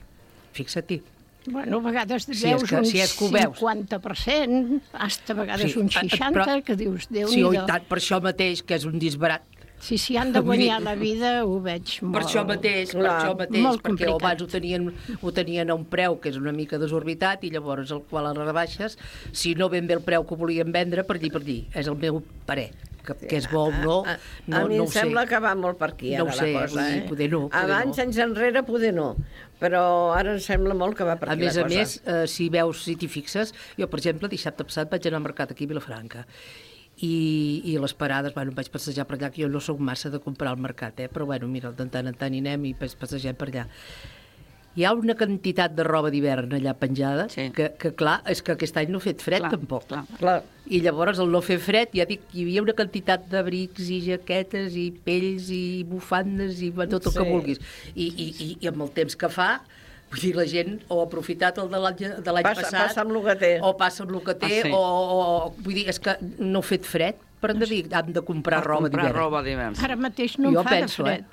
fixa't-hi. Bueno, a vegades veus un 50%, hasta a vegades un 60%, que dius, Déu-n'hi-do. Sí, tant, per això mateix, que és un disbarat. Si han de guanyar la vida, ho veig molt... Per això mateix, perquè abans ho tenien a un preu que és una mica desorbitat i llavors el qual a les rebaixes, si no ben bé el preu que volien vendre, per dir, és el meu parer. Que és bo o no, a mi em sembla que va molt per aquí, ara la cosa. Poder no. Abans, anys enrere, poder no, però ara em sembla molt que va per aquí la cosa. A més, si t'hi fixes, jo, per exemple, dissabte passat vaig anar al mercat aquí a Vilafranca i les parades, em vaig passejar per allà, que jo no soc massa de comprar al mercat, però mira, de tant en tant hi anem i passegem per allà. Hi ha una quantitat de roba d'hivern allà penjada que clar, és que aquest any no ha fet fred tampoc. Clar. I llavors el no fer fred, ja dic, hi havia una quantitat d'abrics i jaquetes i pells i bufandes i tot el que vulguis. I amb el temps que fa, vull dir, la gent o ha aprofitat el de l'any passat... Passa amb el que té. O passa amb el que té, o vull dir, és que no ha fet fred. per hem de comprar roba d'hivern. Ara mateix no em fa de fred.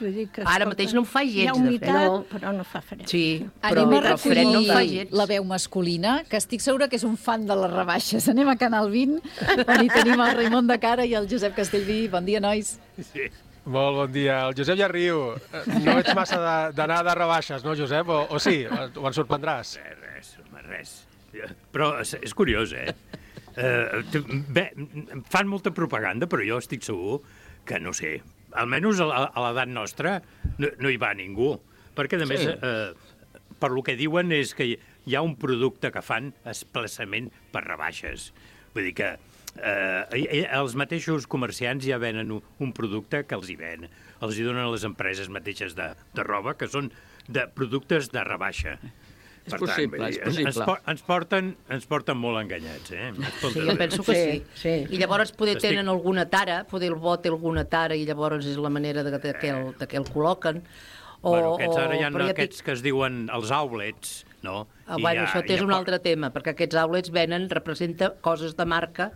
Ara mateix no em fa gens de fred. Hi ha humitat, però no fa fred. Sí, però fred no em fa gens. La veu masculina, que estic segura que és un fan de les rebaixes. Anem a Canal 20, on hi tenim el Raimon de Cara i el Josep Castellví. Bon dia, nois. Sí. Molt bon dia. El Josep ja riu. No ets massa d'anar de rebaixes, no, Josep? O sí? O ens sorprendràs? Res. Però és curiós, bé, fan molta propaganda, però jo estic segur que, no sé, almenys a l'edat nostra no hi va ningú. Perquè, a més, per lo que diuen és que hi ha un producte que fan expressament per rebaixes. Vull dir que els mateixos comerciants ja venen un producte que els hi ven. Els hi donen a les empreses mateixes de roba, que són de productes de rebaixa. És possible. Ens porten molt enganyats, Sí, jo penso que sí. I llavors poder tenen alguna tara, poder el bo té alguna tara i llavors és la manera de que el col·loquen. Bueno, ara hi ha aquests que es diuen els outlets, no? Bueno, això és un altre tema, perquè aquests outlets representen coses de marca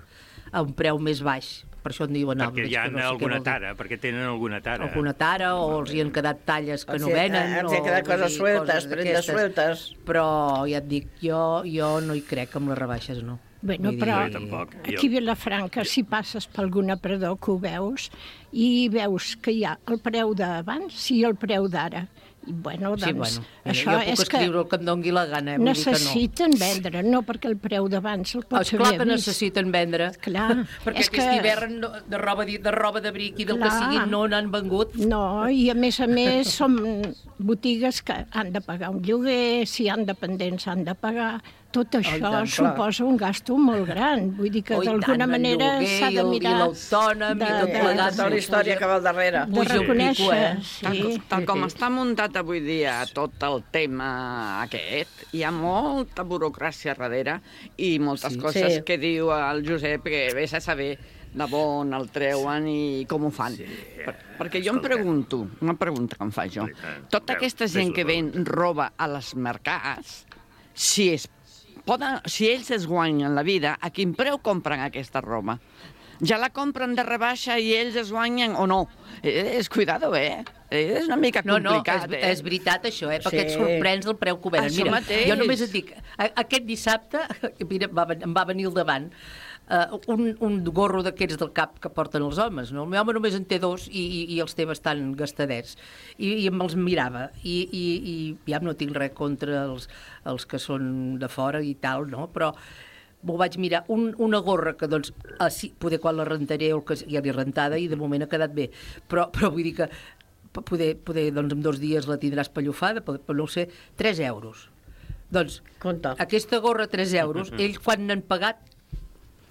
a un preu més baix. Per això en diuen outlets. Perquè hi ha alguna tara, perquè tenen alguna tara. Alguna tara, o els hi han quedat talles que no venen. Els hi han quedat coses sueltes, prendes sueltes. Però ja et dic, jo no hi crec amb les rebaixes, no. Bueno, però aquí a Vilafranca, si passes per algun aparador que ho veus, i veus que hi ha el preu d'abans i el preu d'ara. Bueno, doncs, això jo puc escriure el que em dongui la gana. Necessiten vendre, no perquè el preu d'abans el pots haver vist. Clar que necessiten vendre. Clar. Perquè aquest hivern de roba d'abric i del que sigui no n'han vengut. No, i a més són botigues que han de pagar un lloguer, si han dependents han de pagar. Tot això suposa un gasto molt gran. Vull dir que d'alguna manera s'ha de mirar... I l'autònom, i tot plegat. Tota la història que va al darrere. De reconèixer, sí. Tal com està muntat avui dia tot el tema aquest, hi ha molta burocràcia darrere i moltes coses que diu el Josep que vés a saber de bon el treuen i com ho fan. Perquè jo em pregunto, una pregunta que em faig jo, tota aquesta gent que ven roba a les mercats, si ells es guanyen la vida, a quin preu compren aquesta roba? Ja la compren de rebaixa i ells es guanyen o no? Cuidado, És una mica complicat, No, és veritat això, perquè et sorprens el preu que ho venen. Mira, jo només et dic, aquest dissabte, mira, em va venir al davant, un gorro d'aquests del cap que porten els homes, no? El meu home només en té 2 i els té bastant gastadets. I me'ls mirava. I ja no tinc res contra els que són de fora i tal, no? Però m'ho vaig mirar. Una gorra que, doncs, poder quan la rentaré o que ja l'he rentada i de moment ha quedat bé. Però vull dir que poder doncs, en 2 dies la tindràs pallofada, però no ho sé, 3 euros. Doncs, aquesta gorra 3 euros, ells quan n'han pagat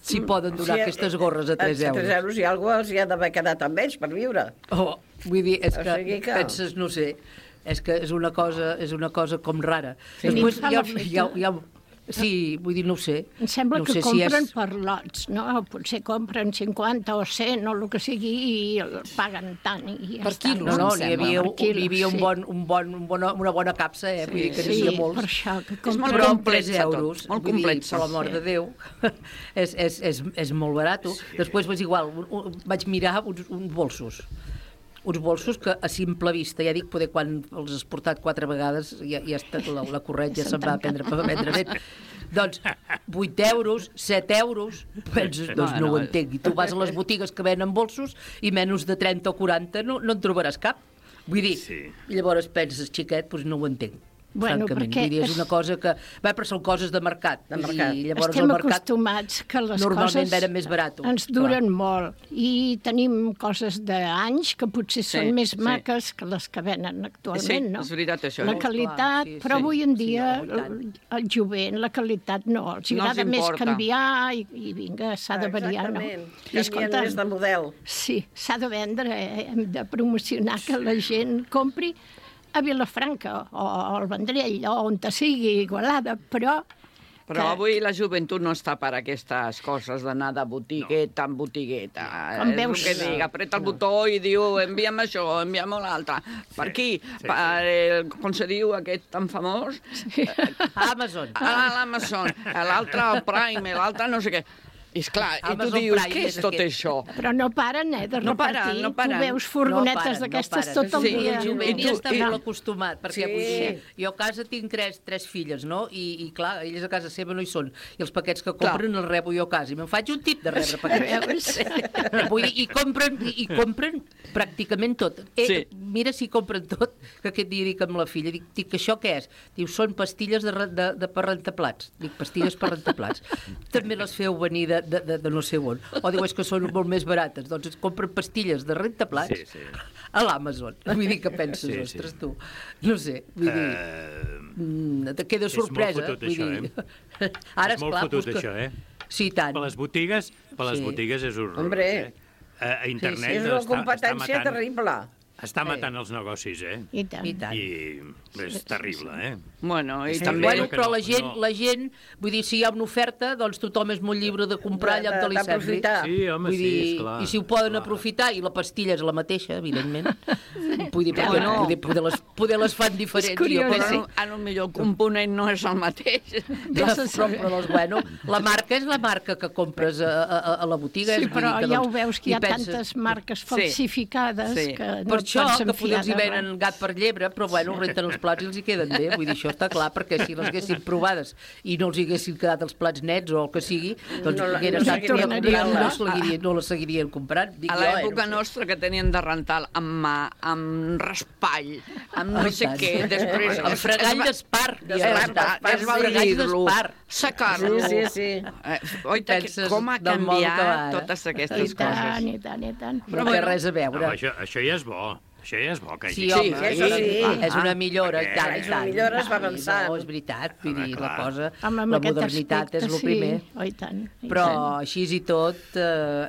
si poden donar aquestes gorres a 3 euros. 3 euros i alguna cosa els hi ha d'haver quedat amb ells per viure. Vull dir, és que penses, no sé, és que és una cosa com rara. Després sí, vull dir, no ho sé. Em sembla que compren per lots, no? Potser compren 50 o 100 o el que sigui i paguen tant i ja està. No, n'hi havia una bona capsa, vull dir que n'hi havia molts. Per això, que però amb 3 euros, molt complex, per l'amor de Déu, és molt barat. Després, igual, vaig mirar uns bolsos que a simple vista, ja dic, poder quan els has portat 4 vegades ja la corretja se'n va prendre net. Doncs 8 euros, 7 euros, penses, doncs no ho entenc. I tu vas a les botigues que venen bolsos i menys de 30 o 40 no en trobaràs cap. Vull dir, llavors penses, xiquet, doncs no ho entenc. Francament, vull dir, és una cosa que... però són coses de mercat. I llavors estem acostumats que les coses venen més barat. Ens duren molt i tenim coses d'anys que potser són més maques que les que venen actualment, no? Sí, és veritat això. La qualitat, però avui en dia el jovent, la qualitat no. Els agrada més canviar i vinga, s'ha de variar, no? Canvien més de model. Sí, s'ha de vendre, hem de promocionar que la gent compri a Vilafranca o al Vendrell o on sigui, Igualada, però avui la joventut no està per aquestes coses d'anar de botigueta en botigueta. És el que dic, apreta el botó i diu envia'm això, envia'm l'altre. Per aquí, com se diu aquest tan famós? Amazon. L'Amazon, l'altre el Prime, l'altre no sé què. I esclar, i tu dius, què és tot això? Però no paren, de repartir. No paren. Tu veus furgonetes d'aquestes tot el dia. El jovent ja està molt acostumat, perquè jo a casa tinc tres filles, no? I clar, elles a casa seva no hi són. I els paquets que compren els rebo jo a casa. I me'n faig un tip de rebre paquets. Vull dir, i compren pràcticament tot. Mira si compren tot, que aquest dia dic amb la filla, dic, això què és? Diu, són pastilles per rentaplats. Dic, pastilles per rentaplats. També les feu venir de no sé on. O diu, és que són molt més barates. Doncs es compren pastilles de rentaplats a l'Amazon. Vull dir, què penses, ostres, tu? No sé, vull dir... Te queda sorpresa. És molt fotut, això, Ara, és molt fotut, això, Sí, tant. Per les botigues és horrorós. Hombre, a internet és una competència terrible. Està matant els negocis, I tant. I és terrible, Bueno, i també... Bueno, però la gent, vull dir, si hi ha una oferta, doncs tothom és molt lliure de comprar allà on te li sembli. Sí, home, sí, esclar. I si ho poden aprofitar, i la pastilla és la mateixa, evidentment, poder les fan diferents. Però a lo millor el component no és el mateix. Però bueno, la marca és la marca que compres a la botiga. Sí, però ja ho veus que hi ha tantes marques falsificades que no això, que potser els hi venen gat per llebre, però bueno, renten els plats i els hi queden bé. Vull dir, això està clar, perquè si les haguessin provades i no els hi haguessin quedat els plats nets o el que sigui, doncs no les seguirien comprant. A l'època nostra que tenien de rentar amb mà, amb raspall, amb no sé què, després... Amb fregall d'espar. Es va dir-lo, secar-lo. Sí. Oita, com ha canviat totes aquestes coses. I tant. Però no té res a veure. Això ja és bo. Això ja és bo. Sí, home, és una millora. És una millora, es va avançar. No, és veritat, vull dir, la cosa, la modernitat és el primer. Però així i tot,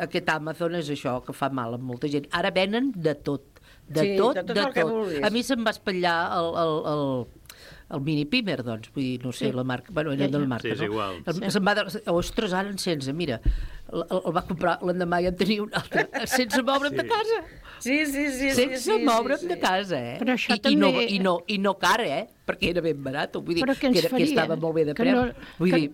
aquest Amazon és això, que fa mal a molta gent. Ara venen de tot. De tot. A mi se'm va espatllar el mini Pimer, doncs, vull dir, no sé, la marca, bueno, era de la marca, és igual. Se'm va dir, ostres, ara sense, mira, el va comprar l'endemà i en tenia un altre, sense moure'm de casa. Sí. Sense moure'm de casa, Però això també... I no cara, perquè era ben barat, vull dir, que estava molt bé de preu. Vull dir...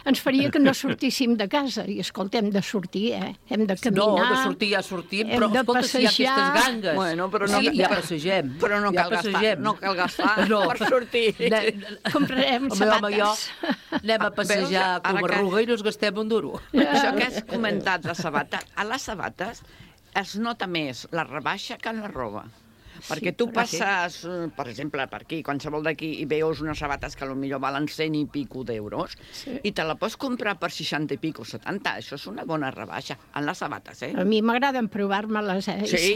Ens faria que no sortíssim de casa, i escolta, hem de sortir, hem de caminar... No, de sortir ja sortim, però escolta, si hi ha aquestes gangues... Bueno, però no... Ja passegem. Però no cal gastar per sortir. Comprarem sabates. Anem a passejar com a Arruga i no ens gastem un duro. Això que has comentat, la sabata, a les sabates es nota més la rebaixa que en la roba. Perquè tu passes, per exemple, per aquí, qualsevol d'aquí, i veus unes sabates que potser valen 100 i pico d'euros, i te la pots comprar per 60 i pico, 70. Això és una bona rebaixa, en les sabates, A mi m'agraden provar-me-les, Sí,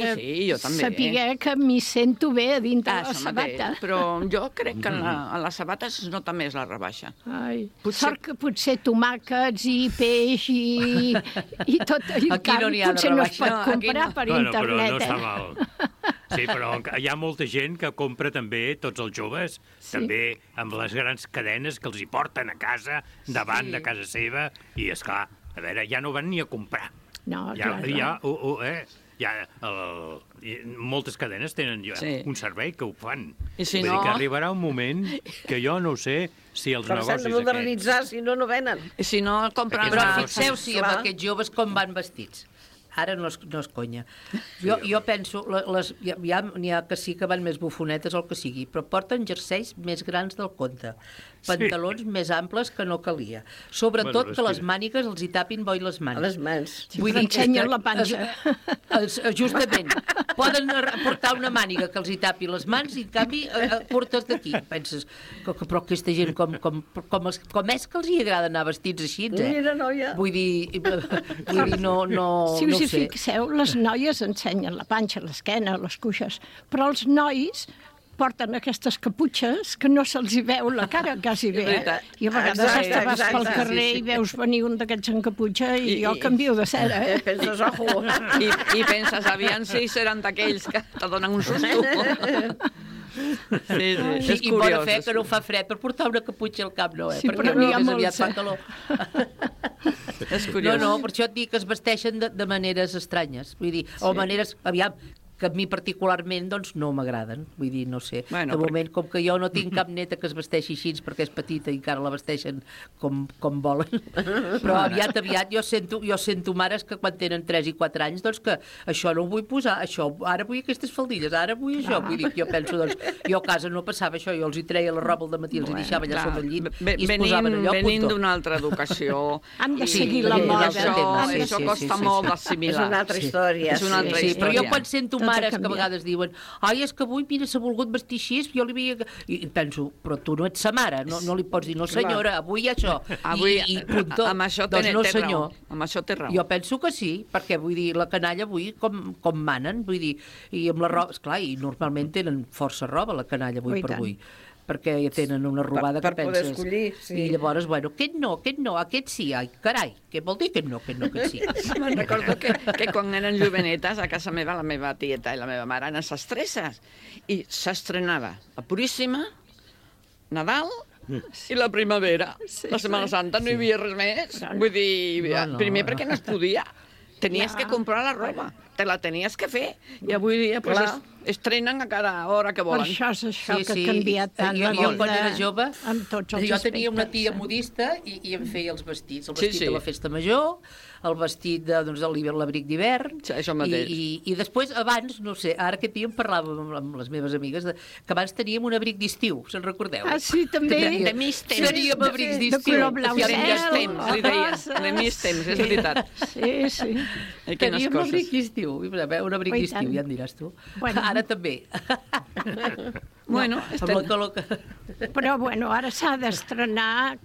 jo també. Saber que m'hi sento bé a dintre la sabata. Però jo crec que en les sabates es nota més la rebaixa. Sort que potser tomàquets i peix i tot allò potser no es pot comprar per internet. Però no està mal. Sí, però hi ha molta gent que compra també, tots els joves, també amb les grans cadenes que els hi porten a casa, davant de casa seva, i esclar, a veure, ja no van ni a comprar. No, moltes cadenes tenen un servei que ho fan. I si Vull dir que arribarà un moment que jo no sé si els negocis aquests... S'han de modernitzar, si no venen. I si no compren... Però fixeu-s'hi amb aquests joves com van vestits. Ara no és conya. Jo penso, n'hi ha que sí que van més bufonetes o el que sigui, però porten jerseis més grans del compte, pantalons més amples que no calia. Sobretot que les mànigues els hi tapin bo i les mans. Les mans. Vull dir, ensenyen la panxa. Justament. Poden portar una màniga que els hi tapi les mans i, en canvi, curtes d'aquí. Penses, però aquesta gent com és que els hi agrada anar vestits així, Mira, noia. Vull dir, no si us hi fixeu, les noies ensenyen la panxa, l'esquena, les cuixes, però els nois porten aquestes caputxes que no se'ls hi veu la cara quasi bé. I a vegades vas pel carrer i veus venir un d'aquests en caputxa i jo canvio de cera. Penses, ojo. I penses, aviam si seran d'aquells que te donen un susto. Sí, és curiós. I bona fe que no fa fred per portar una caputxa al cap, no, Sí, però n'hi ha molts. Fa calor. És curiós. No, per això et dic que es vesteixen de maneres estranyes. Vull dir, o maneres, aviam, que a mi particularment doncs, no m'agraden. Vull dir, no sé. De moment, com que jo no tinc cap neta que es vesteixi així perquè és petita i encara la vesteixen com volen, però aviat jo sento mares que quan tenen 3 i 4 anys, doncs que això no ho vull posar, això, ara vull aquestes faldilles, ara vull això. Vull dir, jo penso, doncs, jo a casa no passava això, jo els hi treia la roba al dematí, els hi deixava allà sobre el llit i es posaven allò, venint d'una altra educació. Han de seguir la moda. Això costa molt d'assimilar. És una altra història. Però jo quan sento mares que a vegades diuen és que avui, mira, s'ha volgut vestir així, jo li havia... I penso, però tu no ets sa mare, no li pots dir, no senyora, avui això, i punto. Amb això doncs no senyor. Amb això té raó. Jo penso que sí, perquè vull dir, la canalla avui com manen, vull dir, i amb la roba, esclar, i normalment tenen força roba la canalla avui per avui, perquè ja tenen una robada que penses... Per poder escollir, sí. I llavors, bueno, aquest no, aquest sí, ai, carai, què vol dir aquest no, aquest sí? Me'n recordo que quan eren jovenetes a casa meva, la meva tieta i la meva mare eren sastresses, i s'estrenava la Puríssima, Nadal i la primavera. La Setmana Santa no hi havia res més. Vull dir, primer perquè no es podia. Tenies que comprar la roba, te la tenies que fer, i avui dia estrenen a cada hora que volen. Per això és això que ha canviat tant. Jo quan era jove, jo tenia una tia modista i em feia els vestits. El vestit de la festa major, el vestit de l'abric d'hivern, i després, abans, no sé, ara aquest dia em parlava amb les meves amigues, que abans teníem un abric d'estiu, se'n recordeu? Ah, sí, també. De mig temps. Teníem abrics d'estiu. De color blau cel. De mig temps, és veritat. Sí. Teníem un abric d'estiu, un abric d'estiu, ja em diràs tu. Ara també. Bueno, però bueno, ara s'ha d'estrenar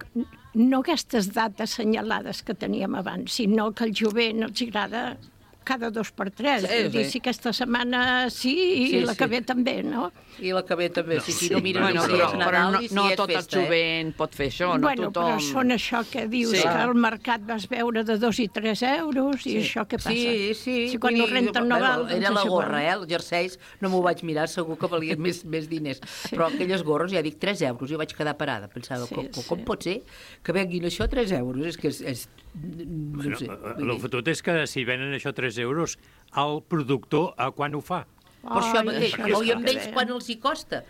no aquestes dates assenyalades que teníem abans, sinó que al jovent els agrada cada 2 per 3. Vull dir, si aquesta setmana sí i la que ve també, no? I la que ve també, si no mires si és Nadal i si és festa. No tot el jovent pot fer això, no tothom... Bueno, però són això que dius, que al mercat vas veure de 2 i 3 euros, i això què passa? Sí. Si quan no renten no val... Era la gorra, els jerseis, no m'ho vaig mirar, segur que valien més diners. Però aquelles gorres, ja dic, 3 euros, jo vaig quedar parada. Pensava, com pot ser que venguin això 3 euros? És que és... No sé. El fotut és que si venen això 3 euros, el productor a quan ho fa? Per això mateix, i amb ells quan els hi costa.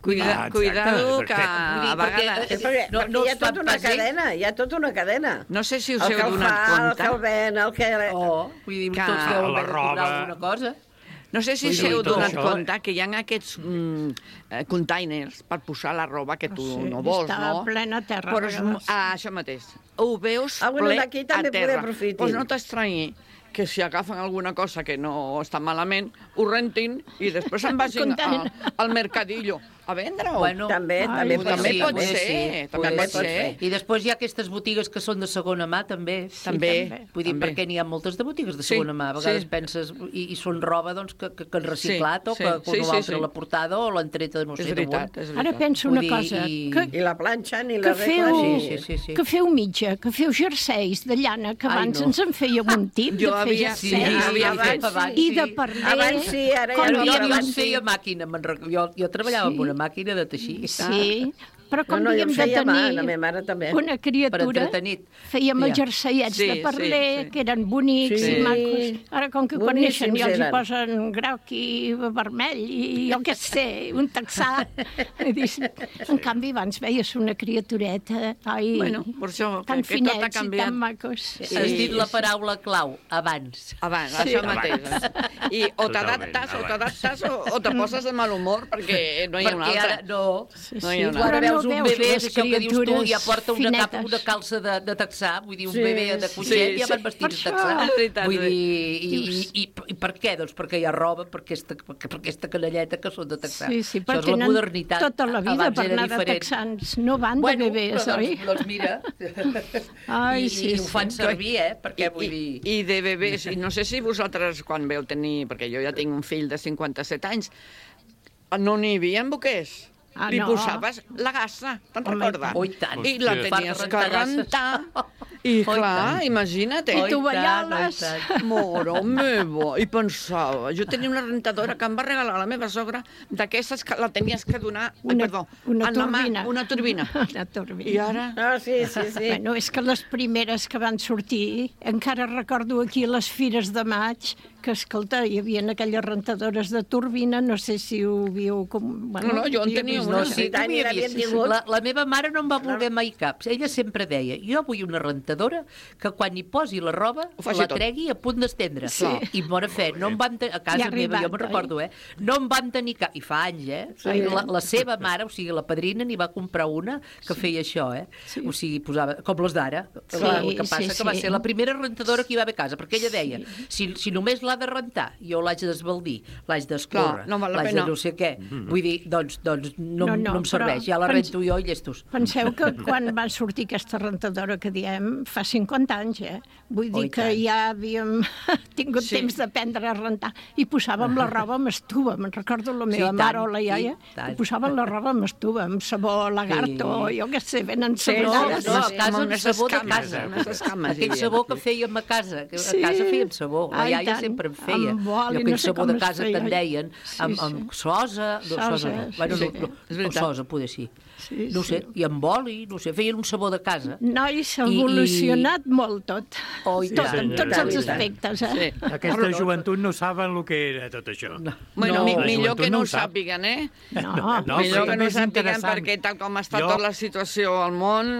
Cuidado que a vegades... Perquè hi ha tota una cadena, No sé si us heu donat compte. El que el ven, el que... Vull dir, tots deuen haver de comprar alguna cosa. No sé si us heu donat compte que hi ha aquests containers per posar la roba que tu no vols, no? Està plena terra. Això mateix. Ho veus ple a terra. Doncs no t'estranyi que si agafen alguna cosa que no està malament, ho rentin i després se'n vagin al mercadillo a vendre-ho. Bueno, també pot ser. I després hi ha aquestes botigues que són de segona mà, també. Vull dir, perquè n'hi ha moltes de botigues de segona mà. A vegades penses, i són roba que han reciclat o que l'altre l'ha portada o l'han treta de no sé d'on. Ara penso una cosa. I la planxen i la reglen. Que feu mitja, que feu jerseis de llana, que abans ens en fèiem un tip de fer jerseis. I de parler. Abans sí, ara ja no. Abans feia màquina. Jo treballava amb una màquina de teixir. Sí, però com havíem de tenir una criatura, fèiem els jerseiets de parler, que eren bonics i macos. Ara, com que quan neixen ja els hi posen groc i vermell i jo què sé, un texà. En canvi, abans veies una criatureta, tan finets i tan macos. Has dit la paraula clau, abans. Abans, això mateix. I o t'adaptes o te poses de mal humor perquè no hi ha una altra. No hi ha una altra. Un bebè, és això que dius tu, ja porta una calça de texà, vull dir, un bebè de coixet ja van vestits de texà. Vull dir, i per què? Doncs perquè hi ha roba, per aquesta canalleta que són de texà. Sí, perquè tenen tota la vida per anar de texans, no van de bebès, oi? Doncs mira, i ho fan servir, perquè vull dir... I de bebès, i no sé si vosaltres quan veu tenir, perquè jo ja tinc un fill de 57 anys, no n'hi havia boquers. Li posaves la gassa, te'n recordes? Oh, i tant. I la tenies que rentar. I clar, imagina't. I tovalloles. Moro meva. I pensava, jo tenia una rentadora que em va regalar la meva sogra, d'aquestes que la tenies que donar, una turbina. Una turbina. I ara? Sí. Bueno, és que les primeres que van sortir, encara recordo aquí les fires de maig, que, escolta, hi havia aquelles rentadores de turbina, no sé si ho viu com... Bueno, no, jo en tenia una. No, sí, la meva mare no em va voler mai cap. Ella sempre deia, jo vull una rentadora que quan hi posi la roba la tregui a punt d'estendre. Sí. I bona fe, no em van tenir... A casa meva, jo me'n recordo, no em van tenir cap... I fa anys, La seva mare, o sigui, la padrina, n'hi va comprar una que feia això, O sigui, posava... Com les d'ara. El que passa que va ser la primera rentadora que hi va haver a casa, perquè ella deia, si només l'ha de rentar, jo l'haig d'esbaldir, l'haig d'escórrer, l'haig de no sé què. Vull dir, doncs no em serveix, ja la rento jo i llestos. Penseu que quan va sortir aquesta rentadora que diem, fa 50 anys, Vull dir que ja havíem tingut temps d'aprendre a rentar i posàvem la roba amb estuva. Me'n recordo la meva mare o la iaia, que posaven la roba amb estuva, amb sabó lagarto, jo què sé, venen sabonades. No, a casa amb sabó de casa. Aquell sabó que fèiem a casa, que a casa fèiem sabó. La iaia sempre en feia. Aquell sabó de casa que en deien, amb sosa, o sosa, poder sí. No sé, i amb oli, no sé, feien un sabó de casa. Noi, s'ha evolucionat molt tot. En tots els aspectes, Aquesta joventut no saben el que era tot això. Bueno, millor que no ho sàpiguen, Millor que no ho sàpiguen, perquè tal com està tota la situació al món...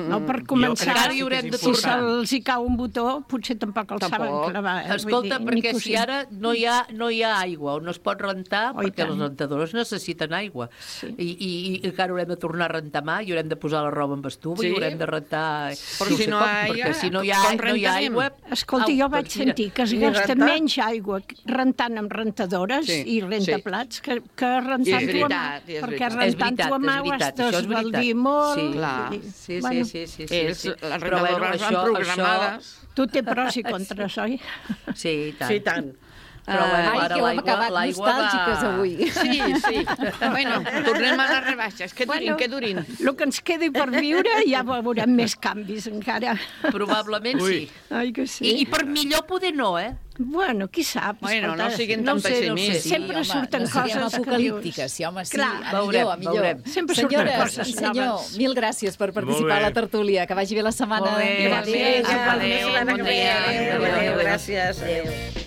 No, per començar, si se'ls hi cau un botó, potser tampoc el saben clavar. Escolta, perquè si ara no hi ha aigua o no es pot rentar, perquè les rentadores necessiten aigua, i encara haurem de tornar a rentar mà, i haurem de posar la roba amb estuva, i haurem de rentar... Però si no hi ha aigua... Escolta, jo vaig sentir que es gasta menys aigua rentant amb rentadores i rentaplats que rentant-ho a mà. Perquè rentant-ho a mà ho has d'esbaldir molt. Sí. Les rentadores van programades. Tu té pros i contres, oi? Sí, i tant. Però ara l'aigua nostàlgiques avui. Sí. Bueno, tornem a les rebaixes. Que durin. El que ens quedi per viure ja veurem més canvis encara. Probablement sí. Ai, que sí. I per millor poder no, Bueno, qui sap? Bueno, no siguin tan pessimistes. Sempre surten coses apocalíptiques, sí, home, sí. Veurem. Sempre surten coses noves. Senyor, mil gràcies per participar a la tertúlia. Que vagi bé la setmana. Molt bé. Adéu. Gràcies. Adéu.